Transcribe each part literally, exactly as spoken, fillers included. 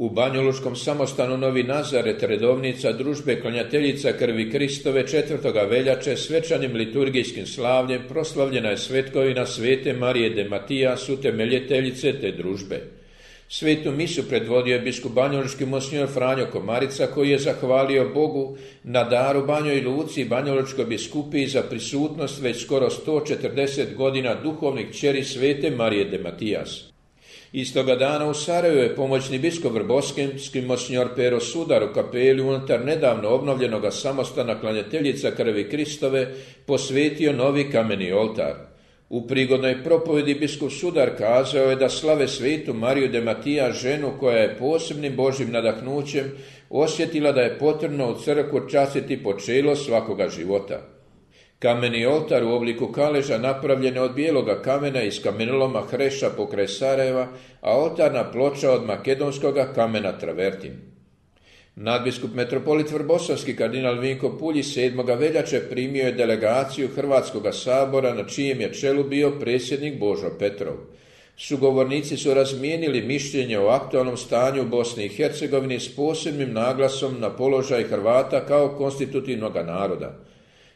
U Banjalučkom samostanu Novi Nazaret redovnica družbe klanjateljica krvi Kristove četvrtoga veljače svečanim liturgijskim slavljem proslavljena je svetkovina Svete Marije de Matijas, utemeljiteljice te družbe. Svetu misu predvodio je biskup banjalučki monsinjor Franjo Komarica, koji je zahvalio Bogu na daru Banjoj Luci i Banjalučkoj biskupiji za prisutnost već skoro sto četrdeset godina duhovnih kćeri Svete Marije de Matijas. Istoga dana u Sarajevu je pomoćni biskup Vrbovski monsinjor Pero Sudar u kapeli unutar nedavno obnovljenoga samostana klanjateljica krvi Kristove posvetio novi kameni oltar. U prigodnoj propovedi biskup Sudar kazao je da slave Svetu Mariju de Matijas, ženu koja je posebnim Božjim nadahnućem osjetila da je potrebno u crkvu častiti počelo svakoga života. Kameni oltar u obliku kaleža napravljen je od bijeloga kamena iz kamenoloma Hreša pokraj Sarajeva, a oltarna ploča od makedonskoga kamena travertin. Nadbiskup metropolit Vrbovski kardinal Vinko Puljić sedmoga veljače primio je delegaciju Hrvatskoga sabora na čijem je čelu bio predsjednik Božo Petrov. Sugovornici su razmijenili mišljenje o aktualnom stanju u Bosni i Hercegovini s posebnim naglasom na položaj Hrvata kao konstitutivnog naroda.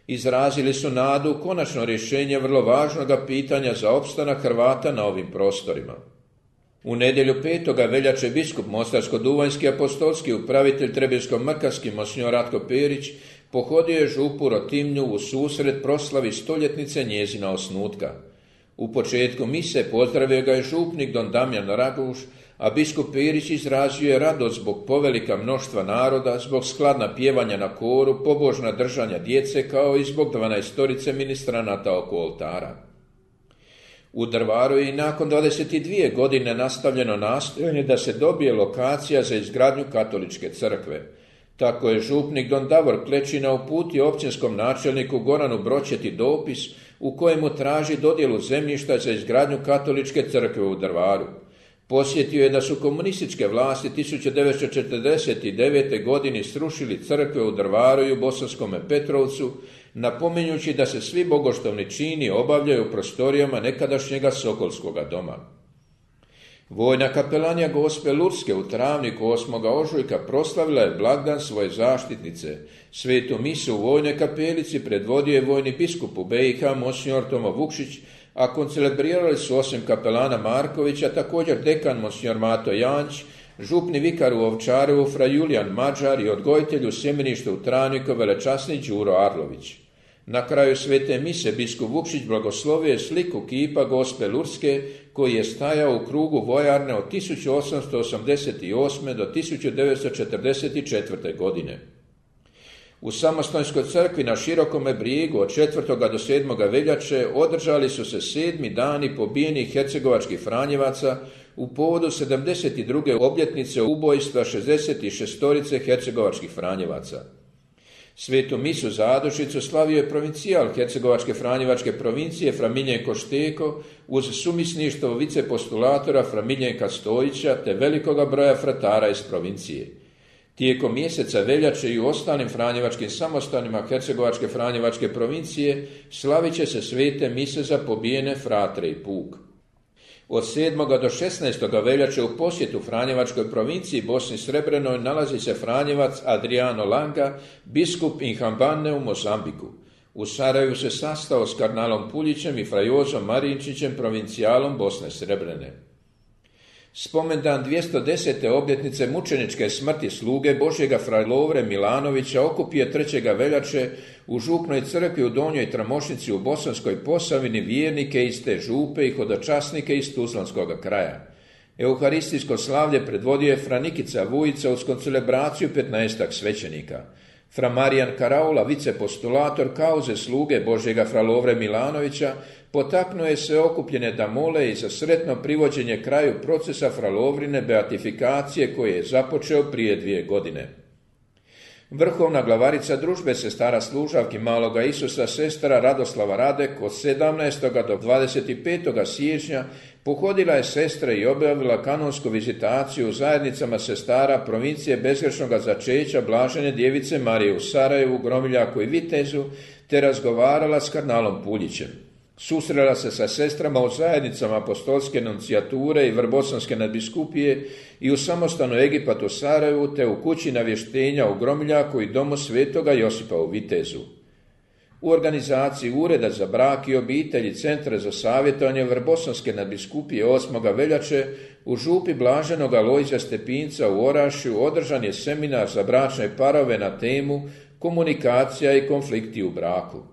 Izrazili su nadu u konačno rješenje vrlo važnoga pitanja za opstanak Hrvata na ovim prostorima. U nedjelju petoga veljače biskup Mostarsko-duvanjski apostolski upravitelj Trebinsko-mrkarski monsinjor Ratko Perić pohodio je župu Rotimnju u susret proslavi stoljetnice njezina osnutka. U početku mise pozdravio ga je župnik don Damjan Raguš, a biskup Perić izrazio je radost zbog povelika mnoštva naroda, zbog skladna pjevanja na koru, pobožna držanja djece, kao i zbog dvanaestorice ministranata oko oltara. U Drvaru je i nakon dvadeset dvije godine nastavljeno nastojanje da se dobije lokacija za izgradnju katoličke crkve. Tako je župnik don Davor Klečina uputio općinskom načelniku Goranu Bročeti dopis u kojemu traži dodjelu zemljišta za izgradnju katoličke crkve u Drvaru. Posjetio je da su komunističke vlasti tisuću devetsto četrdeset devete. godine srušili crkve u Drvaru i u Bosanskome Petrovcu, napominjući da se svi bogoštovni čini obavljaju u prostorijama nekadašnjega Sokolskoga doma. Vojna kapelanija Gospe Lurske u Travniku osmoga ožujka proslavila je blagdan svoje zaštitnice. Svetu misu u vojnoj kapelici predvodio je vojni biskup u B i H monsinjor Tomo Vukšić, a koncelebrirali su osim kapelana Markovića također dekan monsinjor Mato Janč, župni vikar u Ovčarevu fra Julijan Mađar i odgojitelj u sjemeništu u Travniku velečasni Đuro Arlović. Na kraju svete mise biskup Vukšić blagoslovio je sliku kipa Gospe Lurske koji je stajao u krugu vojarne od tisuću osamsto osamdeset osme. do tisuću devetsto četrdeset četvrte. godine. U Samostojskoj crkvi na Širokome Brijegu od četvrtoga do sedmoga veljače održali su se sedmi dani pobijenih hercegovačkih Franjevaca u povodu sedamdeset druge obljetnice ubojstva šezdeset šestorice hercegovačkih Franjevaca. Svetu misu zadušicu slavio je provincijal hercegovačke Franjevačke provincije fra Miljenko Šteko uz sumisništvo vicepostulatora fra Miljenka Stojića te velikoga broja fratara iz provincije. Tijekom mjeseca veljače i u ostalim franjevačkim samostanima hercegovačke Franjevačke provincije slavit će se svete mise za pobijene fratre i puk. Od sedmoga do šesnaestoga veljače u posjetu Franjevačkoj provinciji Bosni Srebrenoj nalazi se Franjevac Adriano Langa, biskup Inhambane u Mozambiku. U Sarajevu se sastao s kardinalom Puljićem i frajozom Marinčićem, provincijalom Bosne Srebrene. Spomendan dvjesto desete obljetnice mučeničke smrti sluge Božjega fra Lovre Milanovića okupio trećega veljače u župnoj crkvi u Donjoj Tramošnici u Bosanskoj Posavini vjernike iz te župe i hodočasnike iz Tuzlanskog kraja. Euharistijsko slavlje predvodio je fra Nikica Vujica uz koncelebraciju petnaestak svećenika. Fra Marijan Karaula, vicepostulator kauze sluge Božjega fra Lovre Milanovića, potaknuo je sve okupljene da mole i za sretno privođenje kraju procesa fra Lovrine beatifikacije koje je započeo prije dvije godine. Vrhovna glavarica družbe sestara služavki Maloga Isusa, sestara Radoslava Radek, od sedamnaestoga do dvadeset petog siječnja pohodila je sestre i objavila kanonsku vizitaciju u zajednicama sestara provincije bezgrešnoga začeća Blažene djevice Marije u Sarajevu, Gromiljaku i Vitezu, te razgovarala s kardinalom Puljićem. Susrela se sa sestrama u zajednicama apostolske nunциjature i Vrbosanske nadbiskupije i u samostanu Egipat u Sarajevu te u kući navještenja u Gromljaku i domu svetoga Josipa u Vitezu. U organizaciji Ureda za brak i obitelj i Centra za savjetovanje Vrbosanske nadbiskupije osmoga veljače u župi Blaženog Alojzija Stepinca u Orašju održan je seminar za bračne parove na temu komunikacija i konflikti u braku.